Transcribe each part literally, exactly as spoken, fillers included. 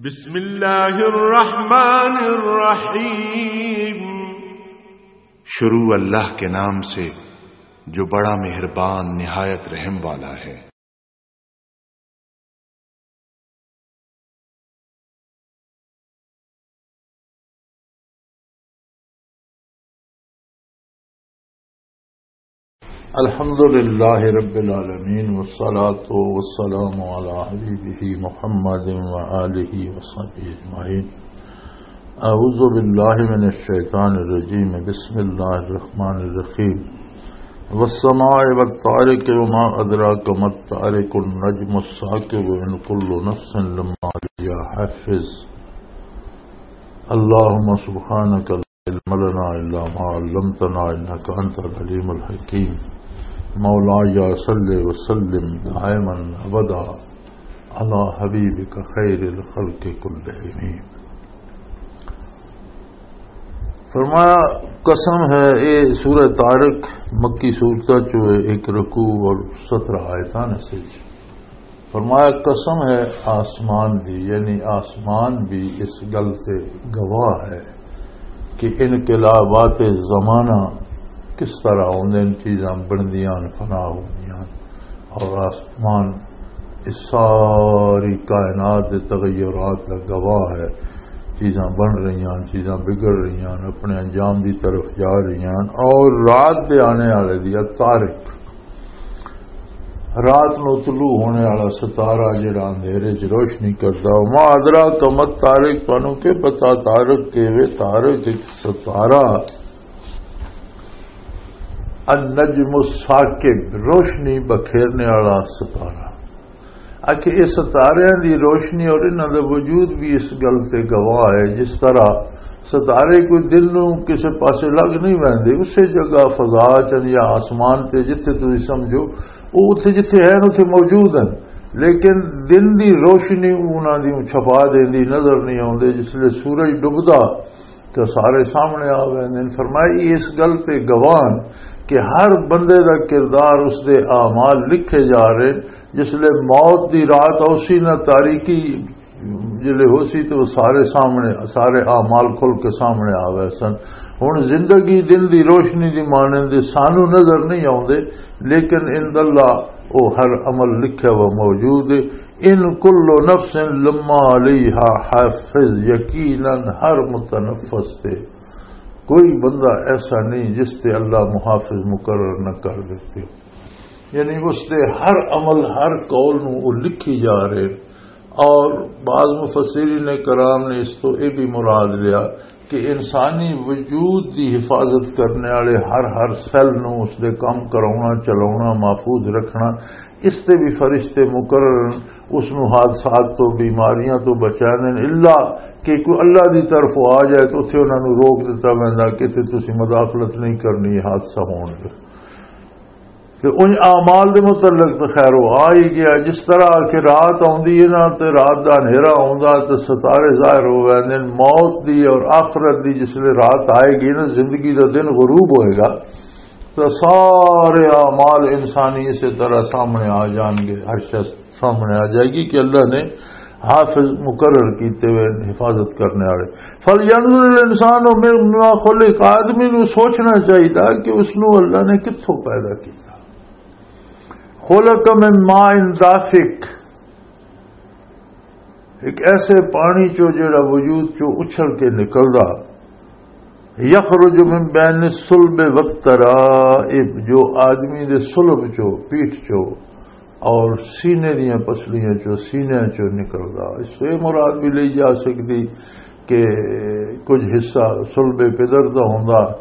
بسم اللہ الرحمن الرحیم۔ شروع اللہ کے نام سے جو بڑا مہربان نہایت رحم والا ہے۔ الحمد لله رب العالمين، والصلاة والسلام على حبيبه محمد وآله وصحبه أجمعين. أعوذ بالله من الشيطان الرجيم. بسم الله الرحمن الرحيم. والسماء والطارق، وما أدراك ما الطارق، النجم الثاقب، إن كل نفس لما عليها حافظ. اللهم سبحانك لا علم لنا إلا ما علمتنا إنك أنت العليم الحكيم. مولاي صل وسلم دائما أبدا على حبيبك خير الخلق كلهم. فرمایا، قسم ہے، اے سورہ طارق مکی سورتاں چوں ایک رکوع اور سترہ آیتاں نے۔ فرمایا، قسم ہے آسمان دی، یعنی آسمان بھی اس گل سے گواہ ہے کہ انقلابات زمانہ کس طرح ہوندے نے، چیزاں بندیاں، فنا ہوندیاں، اور آسمان اس ساری کائنات دے تغیرات دا گواہ ہے۔ چیزاں بن رہیاں، چیزاں بگڑ رہیاں، اپنے انجام دی طرف جا رہیاں۔ اور رات دے آنے والے دی، طارق، رات نو طلوع ہونے والا ستارہ جڑا اندھیرے چ روشنی کردا، وما ادراک ما الطارق، تانوں کی پتہ طارق کی وے؟ طارق ایک ستارہ، النجم الثاقب، روشنی بکھیرنے والا ستارہ۔ آکھے، یہ ستاریاں دی روشنی اور انہاں دا وجود بھی اس گل تے گواہ ہے، جس طرح ستارے کوئی دن نوں کسے پاسے لگ نہیں ویندے، اسے جگہ فضا چن یا آسمان تے جتھے تسی سمجھو، وہ اتھے جتھے ہیں، اتھے موجود ہیں، لیکن دن دی روشنی انہاں دی چھپا دیندی، نظر نہیں آوندے۔ جس لے سورج ڈبدا تے سارے سامنے آ ویندے نے۔ فرمایا، اس گل تے گواہ ہن کہ ہر بندے دا کردار، اس دے اعمال لکھے جا رہے۔ جس لے موت دی رات اوسی نہ، تاریکی جلے ہو سی، تے وہ سارے سامنے، سارے اعمال کھل کے سامنے آ ویسن۔ ہن زندگی دن دی روشنی دی مانند سانو نظر نہیں آوندے، لیکن عند اللہ وہ ہر عمل لکھیا ہوا موجود ہے۔ ان کل نفس لما علیہا حافظ، یقیناً ہر متنفس تے کوئی بندہ ایسا نہیں جس تے اللہ محافظ مقرر نہ کر دیتے۔ یعنی اس دے ہر عمل، ہر قول نو وہ لکھی جا رہے۔ اور بعض مفسرین کرام نے اس تو یہ بھی مراد لیا کہ انسانی وجود دی حفاظت کرنے والے ہر ہر سیل نو، اس دے کم کراؤنا، چلاؤنا، محفوظ رکھنا، اس تے بھی فرشتے مقرر ہیں۔ اس نو حادثات تو، بیماریاں تو بچانے، الا کہ کوئی اللہ دی طرف آ جائے تو اتھے انہاں نو روک دتا ویندا کہ اتھے تسی مداخلت نہیں کرنی، حادثہ ہون دے۔ تے ان اعمال دے متعلق تے خیر وہ آ ہی گیا۔ جس طرح کہ رات آوندی ہے نا، تے رات دا ہنیرا آوندا تے ستارے ظاہر ہو ویندے نے۔ موت دی اور آخرت دی جس لے رات آئے گی نا، زندگی دا دن غروب ہوئے گا، تو سارے اعمال انسانی اسی طرح سامنے آ جان گے۔ ہر شخص سامنے آ جائے گی کہ اللہ نے حافظ مقرر کیتے ہوئے، حفاظت کرنے والے۔ فَلْيَنْظُرِ الْإِنسَانُ مِمَّ خُلِقَ، آدمی نو سوچنا چاہیے کہ اس نو اللہ نے کتھوں پیدا کیتا۔ خلق من ماء دافق، ایک ایسے پانی چو جڑا وجود چو اچھل کے نکلدا، یخرج من بین الصلب والترائب، جو آدمی دے صلب چو، پیٹھ چو اور سینے دیاں پسلیاں چو، سینے چو نکلدا۔ اس سے مراد بھی لئی جا سکتی کہ کچھ حصہ صلب پدر دا ہوندا،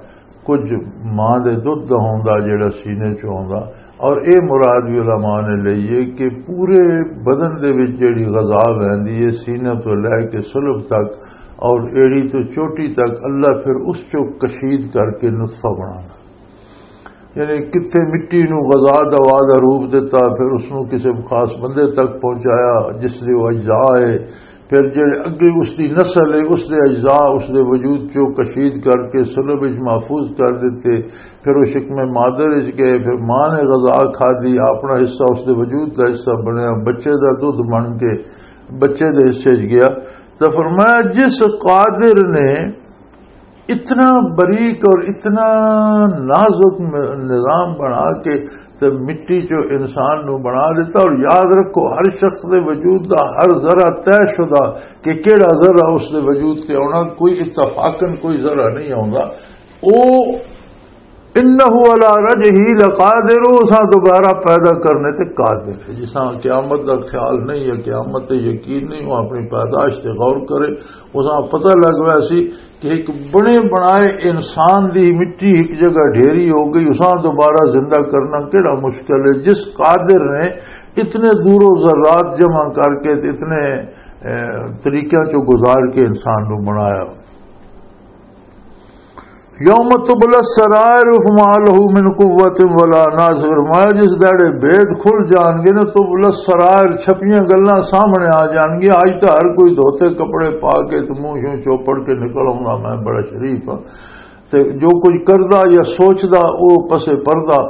کچھ ماں دے دودھ دا ہوندا جڑا سینے چ ہوندا۔ اور اے مراد بھی علماء نے لئی ہے کہ پورے بدن دے وچ جڑی غذا ویندی ہے، سینے تو لے کے صلب تک اور ایڑی تو چوٹی تک، اللہ پھر اس چو کشید کر کے نطفہ بنانا۔ یعنی کتھے مٹی نو غذا دوا دا روپ دتا، پھر اس نو کسے خاص بندے تک پہنچایا جس دے وہ اجزاء ہے، پھر جڑے اگے اس دی نسل ہے، اس دے اجزاء، اس دے وجود چو کشید کر کے صلب وچ محفوظ کر دتے، پھر وہ شکم مادر وچ گئے، پھر ماں نے غذا کھادی، اپنا حصہ اس دے وجود دا حصہ بنیا، بچے دا دودھ بن کے بچے دے حصے وچ گیا۔ تو فرمایا، جس قادر نے اتنا باریک اور اتنا نازک م-، نظام بنا کے تے مٹی چو انسان نو بنا دیتا۔ اور یاد رکھو، ہر شخص دے وجود دا ہر ذرہ طے شدہ کہ کیڑا ذرہ اس دے وجود تے آنا، کوئی اتفاقاً کوئی ذرہ نہیں آندا۔ او انہ علی رجعہ لقادر، اساں دوبارہ پیدا کرنے تے قادر ہے۔ جساں قیامت دا خیال نہیں ہے، قیامت تے یقین نہیں، وہ اپنی پیدائش تے غور کرے، اساں پتہ لگ ویسی کہ ایک بنے بنائے انسان دی مٹی ایک جگہ ڈھیری ہو گئی، اساں دوبارہ زندہ کرنا کیڑا مشکل ہے؟ جس قادر نے اتنے دور و ذرات جمع کر کے، اتنے، اے، طریقیاں چوں گزار کے انسان نو بنایا۔ یوم تبل السرائر فما لہ من قوت ولا ناصر۔ فرمایا، جس دہڑے بید کھل جان گے نا، تبل السرائر، چھپیاں گلاں سامنے آ جان گیاں۔ اج تاں ہر کوئی دھوتے کپڑے پا کے تے منہ شوں چوپڑ کے نکل آؤندا، میں بڑا شریف ہاں۔ تے جو کچھ کردا یا سوچدا، او پسے پردہ۔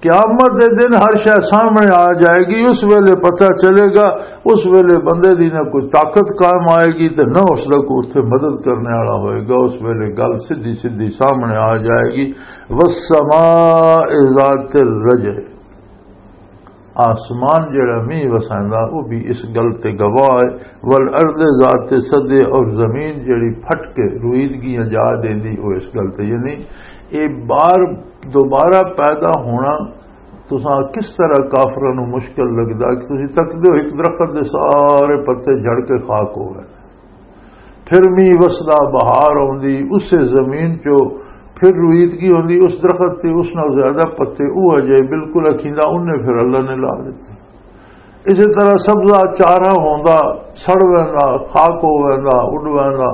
قیامت دے دن ہر شے سامنے آ جائے گی، اس ویلے پتہ چلے گا، اس ویلے بندے دی نہ کوئی طاقت کام آئے گی تے نہ اس دا کوئی اتھے مدد کرنے والا ہوئے گا۔ اس ویلے گل سدھی سدھی سامنے آ جائے گی۔ والسماء ذات الرجع، آسمان جڑا مینہ وسیندا، وہ بھی اس گل تے گواہ ہے۔ والارض ذات الصدع، اور زمین جڑی پھٹ کے رویدگیاں جا دیندی، وہ اس گل تے، یعنی اے بار دوبارہ پیدا ہونا تساں کس طرح کافراں نوں مشکل لگدا کہ تسی تکدے ہو ایک درخت دے سارے پتے جھڑ کے خاک ہو گئے، پھر مینہ وسدا، بہار آوندی، اسے زمین چو پھر رویدگی ہوندی، اس درخت تے اس نال زیادہ پتے، وہ اجے بالکل اکھیندا، انہیں پھر اللہ نے لا دتے۔ اسی طرح سبزہ چارہ ہوندا، سڑ ویندا، خاک ہو ویندا، اڈ ویندا،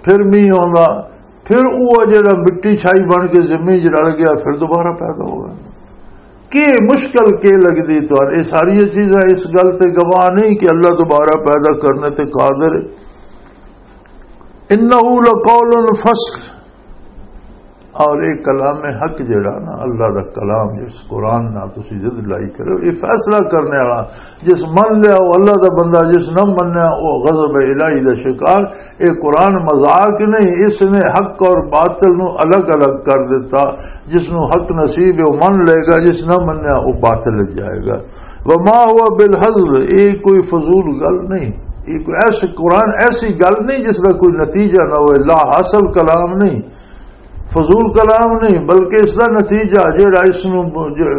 پھر مینہ ہوندا، پھر وہ جڑا مٹی چھائی بن کے زمین چ رل گیا، پھر دوبارہ پیدا ہو ویندا۔ کہ مشکل کہ لگدی تہاڈے؟ یہ ساری چیزاں اس گل تے گواہ نہیں کہ اللہ دوبارہ پیدا کرنے تے قادر ہے۔ انہ لقول فصل، اور ایک کلام حق جڑا نا، اللہ دا کلام، جس قرآن نال تسی ضد لائی کرو، یہ فیصلہ کرنے والا، جس من لیا وہ اللہ دا بندہ، جس نہ منیا وہ غضب الہی دا شکار۔ اے قرآن مذاق نہیں، اس نے حق اور باطل نو الگ الگ کر دیتا۔ جس نو حق نصیب ہے، وہ من لے گا، جس نہ منیا، وہ باطل وچ جائے گا۔ وما هو بالهزل، یہ کوئی فضول گل نہیں، یہ کوئی ایسے قرآن، ایسی گل نہیں جس کا کوئی نتیجہ نہ ہوئے، لا حاصل کلام نہیں، فضول کلام نہیں، بلکہ اس دا نتیجہ جڑا اس نو جو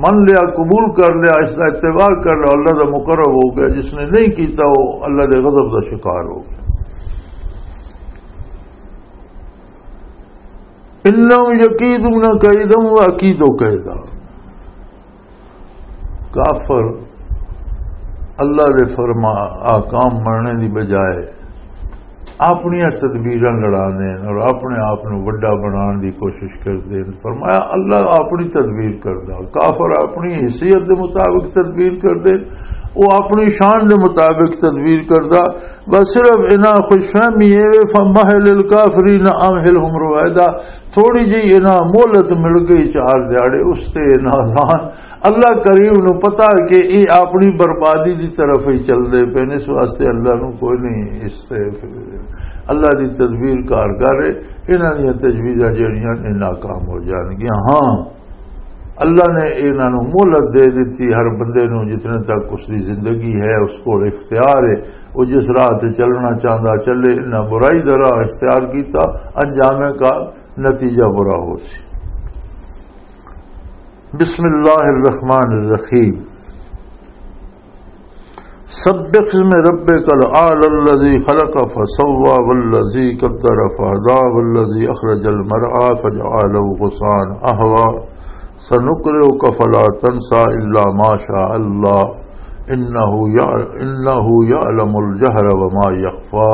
من لیا، قبول کر لیا، اس دا اتباع کر لیا، اللہ دا مقرب ہو گیا، جس نے نہیں کیتا وہ اللہ دے غضب دا شکار ہو گیا۔ انہم یکیدون کیدا و اکید کیدا۔ کافر اللہ دے فرما، احکام مننے دی بجائے اپنی تدبیراں لڑاندے ہیں اور اپنے آپ نو وڈا بنان دی کوشش کردے ہیں۔ فرمایا، اللہ اپنی تدبیر کردا، کافر اپنی حیثیت دے مطابق تدبیر کردے، وہ اپنی شان دے مطابق تدبیر کردا۔ بس صرف انہاں خوش فہمی ہے، فمہل الکافرین امہلہم رویدا، تھوڑی جی انہاں مہلت مل گئی، چار دیہاڑے، اس تے ناظان۔ اللہ کریم نو پتہ کہ یہ اپنی بربادی دی طرف ہی چل دے پے نے، اس واسطے اللہ نو کوئی نہیں اس تے، اللہ دی تدبیر کار کر رہے، انہاں دی تجویزاں جڑیاں نے ناکام ہو جان گیاں۔ ہاں، اللہ نے انہاں نوں مہلت دے دتی، ہر بندے نوں جتنے تک اس دی زندگی ہے، اس کول اختیار ہے، وہ جس راہ تے چلنا چاہندا چلے۔ انہاں برائی دا راہ اختیار کیتا، انجام کا نتیجہ برا ہو سی۔ بسم اللہ الرحمن الرحیم۔ سبح اسم ربک الاعلی الذی خلق فسوی والذی قدر فہدی والذی اخرج المرعی فجعله غثاء احوی سنقرئک فلا تنسی الا ما شاء اللہ انہ یع-، انہ یعلم الجہر وما یخفی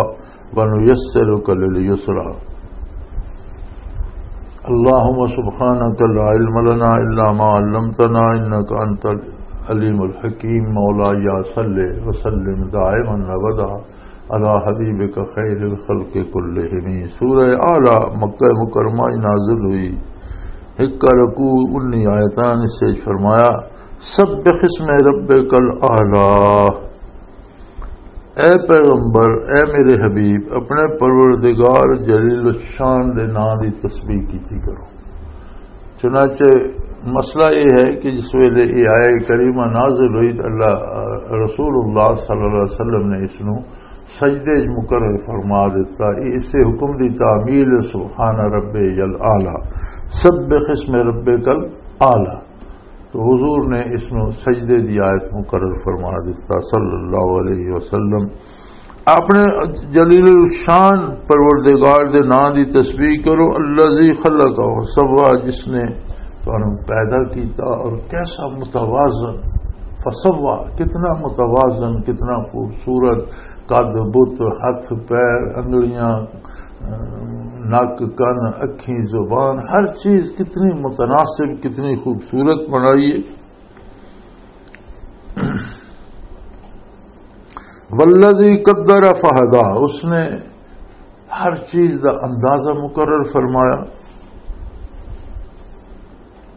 ونیسرک للیسری۔ اللهم سبحانك لا علم لنا إلا ما علمتنا إنك أنت العليم الحكيم۔ مولاي صل وسلم دائما أبدا على حبيبك خير الخلق كلهم۔ سورہ اعلیٰ مکہ مکرمہ نازل ہوئی، ایک رکوع، انی آیتان، اس سے فرمایا، سبح اسم ربک الاعلیٰ۔ اے پیغمبر، اے میرے حبیب، اپنے پروردگار جلیل الشان دے نام دی تسبیح کیتی کرو۔ چنانچہ مسئلہ یہ ہے کہ جس ویلے یہ آیہ کریمہ نازل ہوئی تو اللہ، رسول اللہ صلی اللہ علیہ وسلم نے اس نو سجدے وچ مقرر فرما دیتا۔ یہ اسے حکم دی تعمیل ہے، سبحان ربی الاعلی، سبح اسم ربک الاعلی۔ تو حضور نے اس نو سجدے دی آیت مقرر فرما دیتا صلی اللہ علیہ وسلم۔ اپنے جلیل الشان پروردگار دے نام دی تسبیح کرو، الذی خلق و سوا، جس نے تانوں پیدا کیتا اور کیسا متوازن، فسوا، کتنا متوازن، کتنا خوبصورت، قد بت، ہاتھ پیر، انگلیاں، نک کن، اکھیں، زبان، ہر چیز کتنی متناسب، کتنی خوبصورت بنائی ہے۔ والذی قدر فہدا، اس نے ہر چیز دا اندازہ مقرر فرمایا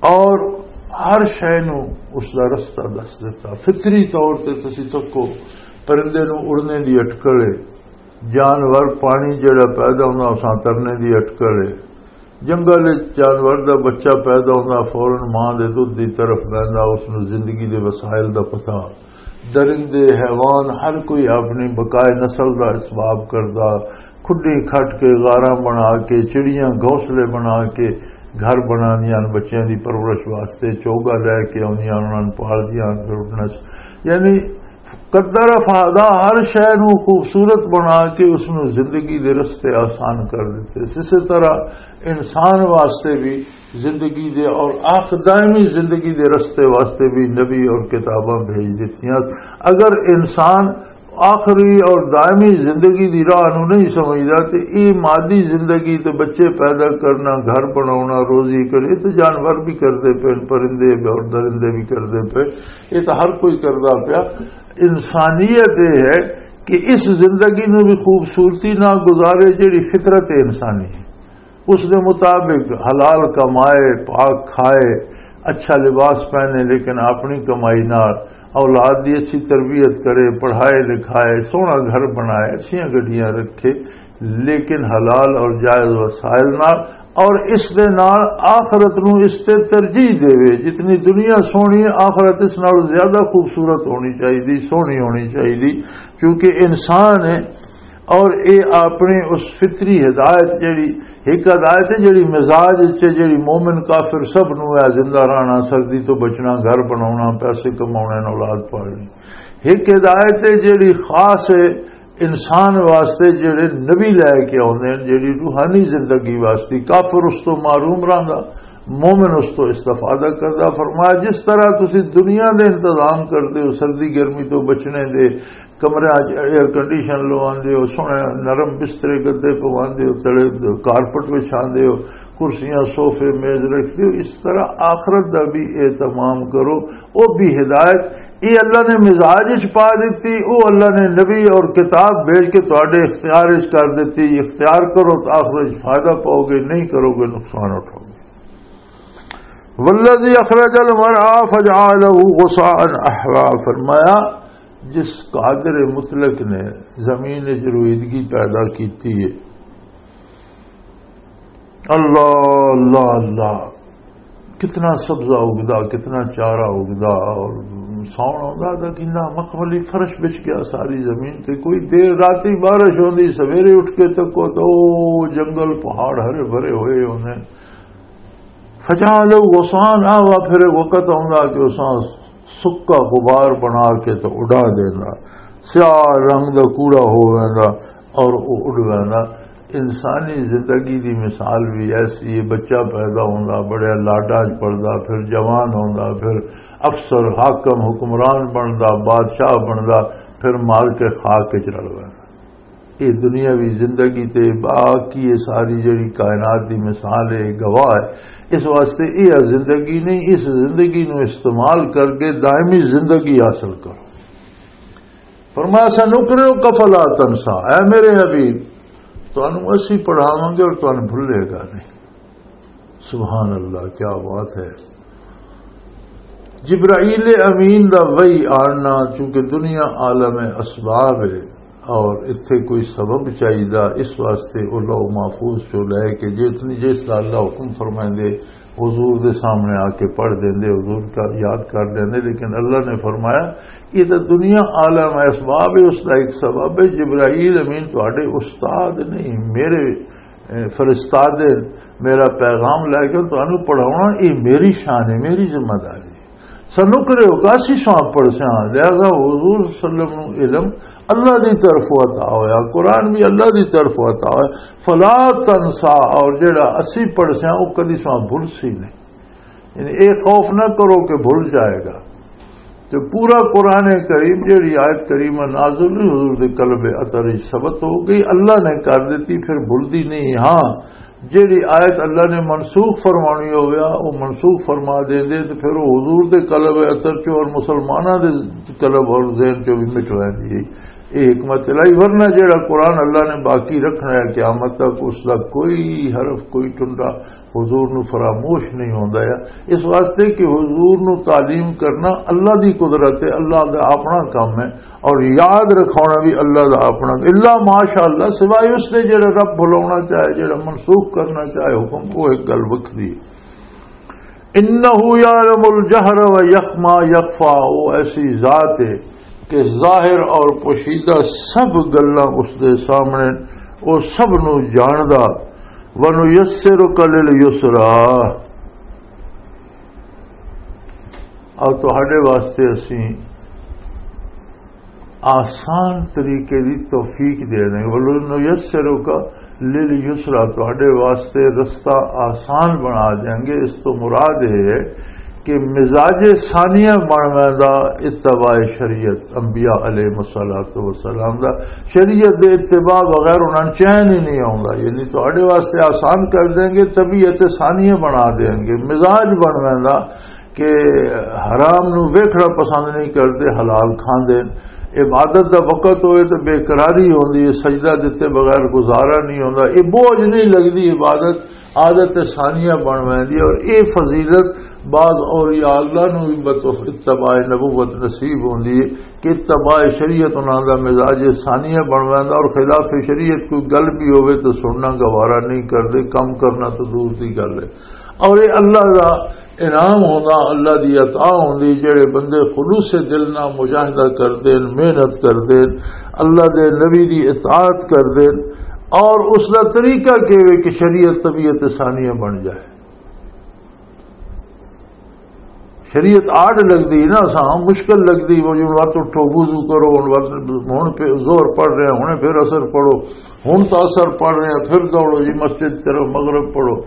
اور ہر شے نو اس دا رستہ دس دیتا۔ فطری طور تے تسی تکو پرندے نو اڑنے دی اٹکل ہے، جانور پانی جڑا پیدا ہوندا اساں ترنے دی اٹکل ہے، جنگل وچ جانور دا بچہ پیدا ہوندا، فوراً ماں دے دودھ دی طرف ویندا، اس نوں زندگی دے وسائل دا پتہ۔ درندے، حیوان، ہر کوئی اپنی بقائے نسل دا اسباب کردا۔ کھڈی کھٹ کے، غاراں بنا کے، چڑیاں گھونسلے بنا کے گھر بناندیاں ہن، بچیاں دی پرورش واسطے چوگا لے کے آندیاں، انہاں نوں پالدیاں ہن، پھر انہاں چ-، یعنی قدر فہدا، ہر شے نوں خوبصورت بنا کے اس نوں زندگی دے رستے آسان کر دتے۔ اسی طرح انسان واسطے بھی زندگی دے اور آخ دائمی زندگی دے رستے واسطے بھی نبی اور کتاباں بھیج دتیاں۔ اگر انسان آخری اور دائمی زندگی دی راہ نوں نہیں سمجھدا تے اے مادی زندگی تے بچے پیدا کرنا، گھر بناونا، روزی کرے تے جانور بھی کردے پے، پرندے اور درندے بھی کردے پے، اے تے ہر کوئی کردا پیا۔ انسانیت اے ہے کہ اس زندگی نوں بھی خوبصورتی نہ گزارے جڑی فطرت انسانی ہے۔ اس دے مطابق حلال کمائے، پاک کھائے، اچھا لباس پہنے، لیکن اپنی کمائی نال اولاد دی اچھی تربیت کرے، پڑھائے لکھائے، سوہنا گھر بنائے، اچھیاں گڈیاں رکھے، لیکن حلال اور جائز وسائل نال، اور اس دے نال آخرت نو اس تے ترجیح دے۔ جتنی دنیا سوہنی ہے، آخرت اس نال زیادہ خوبصورت ہونی چاہیے، سوہنی ہونی چاہیے، کیونکہ انسان ہے۔ اور اے اپنی اس فطری ہدایت جڑی، ایک ہدایت ہے جڑی مزاج وچ ہے، جڑی مومن کافر سب نو ہے، زندہ رہنا، سردی تو بچنا، گھر بناونا، پیسے کماونے، اولاد پالنی۔ ایک ہدایت ہے جڑی خاص ہے انسان واسطے، جڑے نبی لے کے آوندے ہیں، جڑی روحانی زندگی واسطے۔ کافر اس تو محروم رہندا، مومن اس تو استفادہ کردا۔ فرمایا، جس طرح تسی دنیا دے انتظام کردے ہو سردی گرمی تو بچنے دے، کمرے اچ ایئر کنڈیشن لواندے ہو، سوہنے نرم بسترے گدے پواندے ہو، تلے کارپٹ وچھاندے ہو، کرسیاں، صوفے، میز رکھدے ہو، اس طرح آخرت دا بھی اہتمام کرو۔ او بھی ہدایت، اے اللہ نے مزاج وچ پا دتی، او اللہ نے نبی اور کتاب بھیج کے تواڈے اختیار وچ کر دتی۔ اختیار کرو تو آخرت وچ فائدہ پاؤ گے، نہیں کرو گے نقصان اٹھاؤ گے۔ والذی اخرج المرعى فجعله غثاء احوا، فرمایا، جس قادر مطلق نے زمین وچ رویدگی پیدا کیتی ہے، اللہ، اللہ، اللہ، کتنا سبزہ اگدا، کتنا چارہ اگدا، اور ساؤن آندا تاں کہندا مخملی فرش بچ گیا ساری زمین تے۔ کوئی دیر راتی بارش ہوندی، سویرے اٹھ کے تکو تو او جنگل، پہاڑ ہرے بھرے ہوئے ہوندے۔ فجعله غثاء احوا، پھر ایک وقت آندا کہ اساں سکا غبار بنا کے تو اڈا دیندا، سیاہ رنگ دا کوڑا ہو ویندا اور او اڈ ویندا۔ انسانی زندگی دی مثال بھی ایسی ہے، بچہ پیدا ہوندا، بڑے لاڈاں وچ پڑھدا، پھر جوان ہوندا، پھر افسر، حاکم، حکمران بندا، بادشاہ بندا، پھر مار کے خاک وچ رل ویندا۔ یہ دنیاوی زندگی تے باقی یہ ساری جڑی کائنات دی مثال ہے، گواہ ہے۔ اس واسطے یہ زندگی نہیں، اس زندگی نو استعمال کر کے دائمی زندگی حاصل کرو۔ فرمایا، "سنقرئک فلا تنسی"، اے میرے حبیب، تانوں اسی پڑھاواں گے اور تانوں بھلے گا نہیں۔ سبحان اللہ، کیا بات ہے۔ جبرائیل امین دا وحی آنا، چونکہ دنیا عالم اسباب ہے، اور اتھے کوئی سبب چاہیدا، اس واسطے او لوح محفوظ چوں لے کے جتنی، جس دا اللہ حکم فرمائندے، حضور دے سامنے آ کے پڑھ دیندے، حضور کا یاد کر لیندے۔ لیکن اللہ نے فرمایا، یہ تو دنیا عالم ہے، اسباب ہے، اس دا ایک سبب ہے۔ جبرائیل امین تہاڈے استاد نہیں، میرے، اے، فرستادے، میرا پیغام لے کے تانوں پڑھاونا، یہ میری شان ہے، میری ذمہ داری ہے۔ سنقرئک، اسی ساں پڑھساں۔ لہذا حضور صلی اللہ علیہ وسلم نو علم اللہ دی طرف عطا ہویا، قرآن بھی اللہ دی طرف عطا ہویا۔ فلا تنسا، اور جڑا اسی پڑھساں، وہ کدی ساں بھل سی نہیں۔ یعنی اے خوف نہ کرو کہ بھل جائے گا۔ تو پورا قرآن کریم، جڑی آیت کریمہ نازل ہوئی، حضور دے قلب اطہر وچ ثبت ہو گئی، اللہ نے کر دیتی، پھر بھلدی نہیں۔ ہاں، جیڑی آیت اللہ نے منسوخ فرمانی ہویا، وہ منسوخ فرما دیندے، تے پھر وہ حضور دے قلب اثر چوں اور مسلماناں دے قلب اور ذہن چوں بھی مٹ ویندی ہے۔ یہ حکمت الہی، ورنہ جیڑا قرآن اللہ نے باقی رکھنا ہے قیامت تک، اس دا کوئی حرف، کوئی ٹنڈا حضور نو فراموش نہیں ہوندا ہے۔ اس واسطے کہ حضور نو تعلیم کرنا اللہ دی قدرت ہے، اللہ دا اپنا کام ہے۔ اور یاد رکھاونا بھی اللہ دا اپنا، الا ماشاءاللہ، سوائے اس دے جڑا رب بھلاونا چاہے، جڑا منسوخ کرنا چاہے حکم، وہ ایک گل وکھری ہے۔ انہ یعلم الجہر و یخما یخفا، وہ ایسی ذات ہے کہ ظاہر اور پوشیدہ سب گلاں اس دے سامنے، وہ سب نو جاندا۔ ونیسرک للیسرا، اور تہاڈے واسطے اسی آسان طریقے دی توفیق دے دیں گے۔ وَلَنُيَسِّرُكَ لِلْيُسْرَىٰ، تہاڈے واسطے رستہ آسان بنا دیں گے۔ اس تو مراد یہ ہے کہ مزاج ثانیہ بننے دا اتباع شریعت، انبیاء علیہ الصلوۃ والسلام دا، شریعت دے اتباع بغیر انہاں چین ہی نہیں آوندا۔ یعنی تہاڈے واسطے آسان کر دیں گے، طبیعت ثانیہ بنا دیں گے، مزاج بننے دا کہ حرام نو ویکھنا پسند نہیں کردے، حلال کھاندے۔ عبادت دا وقت ہوئے تے بے قراری ہوندی ہے، سجدہ دتے بغیر گزارا نہیں ہوندا۔ یہ بوجھ نہیں لگدی عبادت، عادت ثانیہ بن ویندی ہے۔ اور یہ فضیلت بعض اولیاء اللہ نو بھی بطور اتباع نبوت نصیب ہوندی ہے کہ اتباع شریعت انہاں دا مزاج ثانیہ بن ویندا، اور خلاف شریعت کوئی گل بھی ہوئے تو سننا گوارا نہیں کردے، کم کرنا تو دور دی گل ہے۔ اور یہ اللہ دا انعام ہوندا، اللہ دی عطا ہوندی، جڑے بندے خلوص دل نال مجاہدہ کردے ہن، محنت کردے ہن، اللہ دے نبی دی اطاعت کردے ہن، اور اس دا طریقہ کیویں کہ شریعت طبیعت ثانیہ بن جائے۔ شریعت آڈ لگدی نا، اساں مشکل لگدی، وہ جی ہن وقت اٹھو، وضو کرو، ہن وقت، ہن پھر ظہر پڑھ رہے ہیں، ہن پھر عصر پڑھو، ہن تو عصر پڑھ رہے ہیں، پھر دوڑو جی مسجد طرف، مغرب پڑھو۔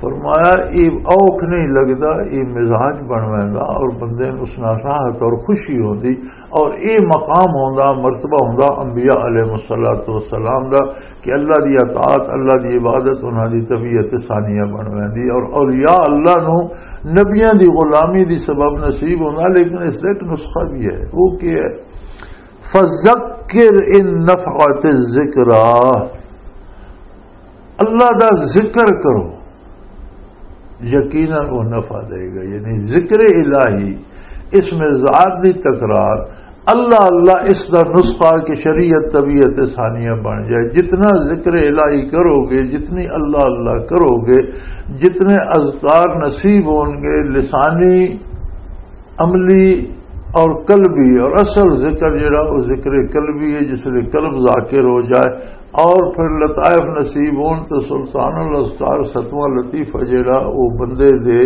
فرمایا، یہ اوکھ نہیں لگدا، یہ مزاج بن ویندا اور بندے نوں اس نال راحت اور خوشی ہوندی، اور یہ مقام ہوندا، مرتبہ ہوندا انبیاء علیہ الصلوۃ والسلام دا، کہ اللہ دی اطاعت، اللہ دی عبادت انہاں دی طبیعت ثانیہ بن ویندی، اور اولیاء اللہ نوں نبیاں دی غلامی دی سبب نصیب ہوندا۔ لیکن اس دا ایک نسخہ بھی ہے، وہ کیا ہے؟ فذکر ان نفعت الذکریٰ، اللہ دا ذکر کرو، یقیناً وہ نفع دے گا۔ یعنی ذکر الہی، اس میں ذات دی تکرار، اللہ اللہ، اس دا نسخہ کہ شریعت طبیعت ثانیہ بن جائے۔ جتنا ذکر الہی کرو گے، جتنی اللہ اللہ کرو گے، جتنے اذکار نصیب ہون گے، لسانی، عملی اور قلبی، اور اصل ذکر جڑا، وہ ذکر قلبی ہے، جس لئے قلب ذاکر ہو جائے، اور پھر لطائف نصیب ہون تو سلطان الاذکار ستواں لطیفہ جڑا، وہ بندے دے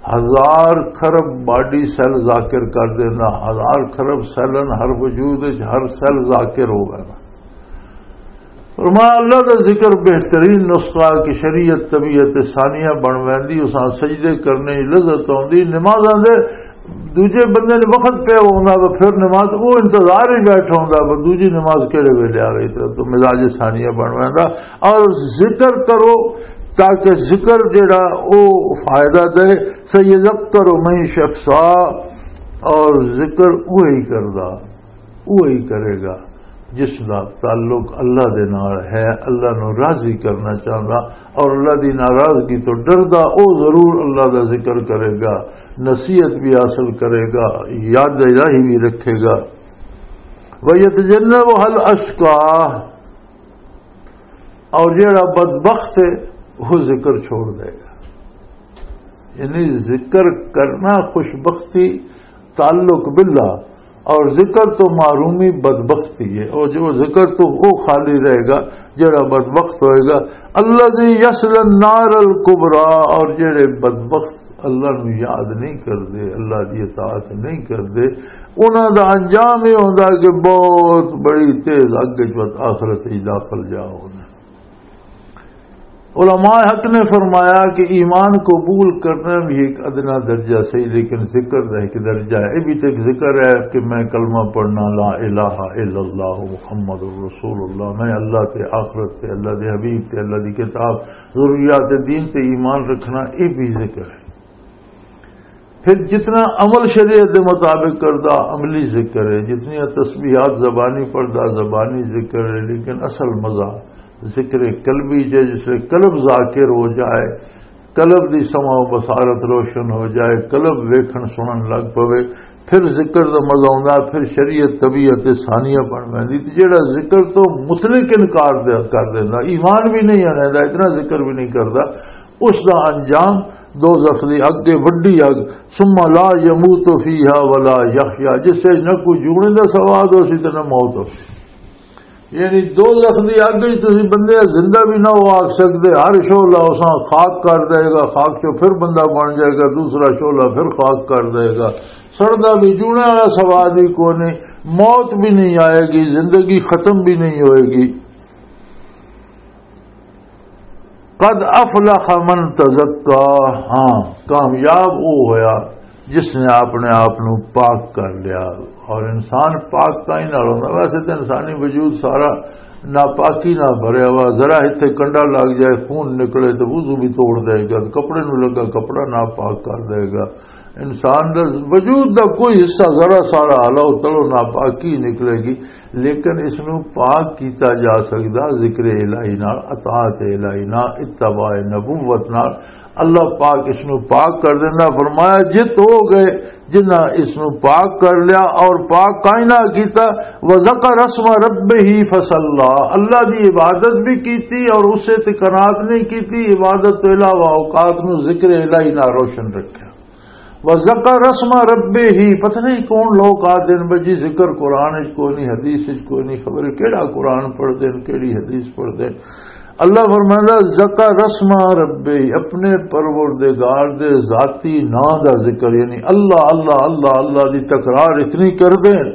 ہزار کھرب باڈی سیل ذاکر کر دینا، ہزار کھرب سیلن ہر وجود وچ، ہر سیل ذاکر ہو گیا۔ فرمایا، اللہ دا ذکر بہترین نسخہ کہ شریعت طبیعت ثانیہ بن ویندی، اساں سجدے کرنے دی لذت آندی۔ نمازاں دے دوجے بندے نے وقت پہ ہوندا وا، پھر نماز وہ انتظار ہی بیٹھا ہوندا وا، دوجی نماز کہڑے ویلے آ گئی، تو مزاج ثانیہ بن ویندا۔ اور ذکر کرو تاکہ ذکر جڑا او فائدہ دے۔ سَيَذَّكَّرُ مَن يَخْشَىٰ، اور ذکر وہی کردا، وہی کرے گا جس دا تعلق اللہ دے نال ہے، اللہ نو راضی کرنا چاہندا، اور اللہ دی ناراضگی تو ڈردا، او ضرور اللہ دا ذکر کرے گا، نصیحت بھی حاصل کرے گا، یاد الہی بھی رکھے گا۔ وَيَتَجَنَّبُهَا الْأَشْقَى، اور جڑا بدبخت ہے، وہ ذکر چھوڑ دے گا۔ یعنی ذکر کرنا خوش بختی، تعلق باللہ، اور ذکر تو محرومی، بدبختی ہے۔ اور جو ذکر تو وہ خالی رہے گا، جڑا بدبخت ہوئے گا۔ الذي يصلى النار الكبرى، اور جڑے بدبخت اللہ نو یاد نہیں کردے، اللہ دی اطاعت نہیں کردے، انہاں دا انجام یہ ہوندا کہ بہت بڑی تیز اگ وچ آخرت وچ داخل جا ہونا۔ علماء حق نے فرمایا کہ ایمان قبول کرنا بھی ایک ادنا درجہ صحیح، لیکن ذکر دا ایک درجہ ہے۔ یہ بھی تو ایک ذکر ہے کہ میں کلمہ پڑھنا، لا الہ الا اللہ محمد رسول اللہ، میں اللہ تے، آخرت تے، اللہ دے حبیب تے، اللہ دی کتاب، ضروریات دین تے ایمان رکھنا، یہ بھی ذکر ہے۔ پھر جتنا عمل شریعت دے مطابق کردہ، عملی ذکر ہے، جتنی تسبیحات زبانی پڑھدا، زبانی ذکر ہے، لیکن اصل مزہ ذکر قلبی جے، جس لئے قلب ذاکر ہو جائے، قلب دی سمع و بصارت روشن ہو جائے، قلب ویکھن سنن لگ پوے، پھر ذکر دا مزہ آوندا، پھر شریعت طبیعت ثانیہ بن ویندی۔ تے جڑا ذکر تو مطلق انکار دے، کر دیندا، ایمان بھی نہیں آندا، اتنا ذکر بھی نہیں کردا، اس دا انجام دوزخ دی اگ، وڈی اگ، ثم لا يموت فيها ولا يحيا، جس وچ نہ کوئی جیونے دا سواد ہو سی تے نہ موت ہو سی۔ یعنی دوزخ دی اگ وچ تسی بندے زندہ بھی نہ ہو آکھ سکدے۔ ہر شعلہ اساں خاک کر دے گا، خاک چوں پھر بندہ بن جائے گا، دوسرا شعلہ پھر خاک کر دے گا۔ سڑدا بھی، جیونے والا سواد بھی کوئی نہیں، موت بھی نہیں آئے گی، زندگی ختم بھی نہیں ہوئے گی۔ قد افلح من تزکا، ہاں، کامیاب وہ ہویا جس نے اپنے آپ نو پاک کر لیا۔ اور انسان پاک کائیں نال ہوندا؟ ویسے تے انسانی وجود سارا ناپاکی نال بھریا ہوا، ذرا اتھے کنڈا لگ جائے، خون نکلے تے وضو بھی توڑ دے گا، کپڑے نو لگا کپڑا ناپاک کر دے گا۔ انسان دا وجود دا کوئی حصہ ذرا سارا ہلاؤ تلو ناپاکی نکلے گی، لیکن اس نو پاک کیتا جا سکدا ذکر الہی نال، اطاعت الہی نال، اتباع نبوت نال۔ اللہ پاک اس نو پاک کر دیندا۔ فرمایا، جت ہو گئے جنہاں اس نو پاک کر لیا اور پاک کائنا کیتا۔ وذکر اسم ربہ فصلی، اللہ دی عبادت بھی کیتی اور اسے تے قناعت نہیں کیتی، عبادت تو علاوہ اوقات نو ذکر الہی نال روشن رکھیا۔ وذکر اسم ربہ، پتہ نہیں کون لوگ آ دین بجی ذکر قرآن وچ کوئی نہیں، حدیث وچ کوئی نہیں، خبر کیڑا قرآن پڑھ دین، کیڑی حدیث پڑھ دین۔ اللہ فرمائندا، ذکر اسم ربہ، اپنے پروردگار دے ذاتی نام دا ذکر، یعنی اللہ، اللہ، اللہ، اللہ دی تکرار اتنی کر دین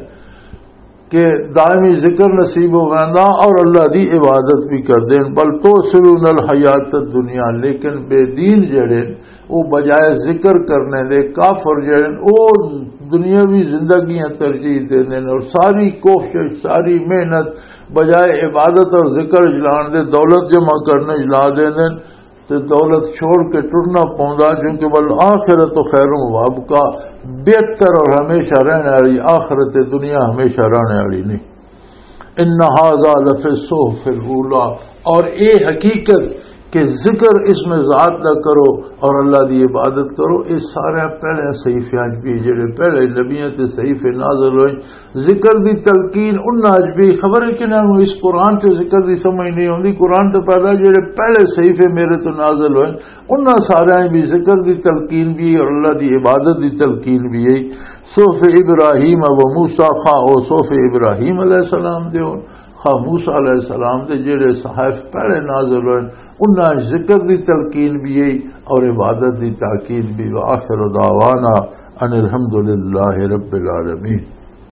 کہ دائمی ذکر نصیب ہو ویندا اور اللہ دی عبادت بھی کر دین۔ بل تؤثرون الحیات الدنیا، لیکن بے دین جڑے، وہ بجائے ذکر کرنے دے، کافر جڑے، وہ دنیاوی زندگیاں ترجیح دے دین اور ساری کوشش، ساری محنت بجائے عبادت اور ذکر جلان دے، دولت جمع کرنے جلا دے دین۔ تے دولت چھوڑ کے ٹرنا پوندا، کیونکہ والآخرۃ خیر و ابقیٰ، بہتر اور ہمیشہ رہنے والی آخرت ہے، دنیا ہمیشہ رہنے والی نہیں۔ ان ھذا لفی الصحف الاولی، اور اے حقیقت کہ ذکر اس میں ذات دا کرو اور اللہ دی عبادت کرو، یہ سارے پہلے صحیفیاں وچ بھی، جڑے پہلے نبیاں تے صحیفے نازل ہوئے، ذکر دی تلقین انہاں اچ بھی۔ خبر ہے کہ انہاں نوں اس قرآن تے ذکر دی سمجھ نہیں ہوندی۔ قرآن تے پیدا جڑے پہلے صحیفے میرے تو نازل ہوئے، انہاں سارے بھی ذکر دی تلقین بھی اور اللہ دی عبادت دی تلقین بھی ہے۔ صحف ابراہیم و موسیٰ، خواہ او صحف ابراہیم علیہ السلام دے ہون، خواہ موسیٰ علیہ السلام دے، جڑے صحائف پہلے نازل ہوئے، انہاں اچ ذکر دی تلقین بھی ہے اور عبادت دی تاکید بھی۔ وآخر دعوانا ان الحمد للہ رب العالمین۔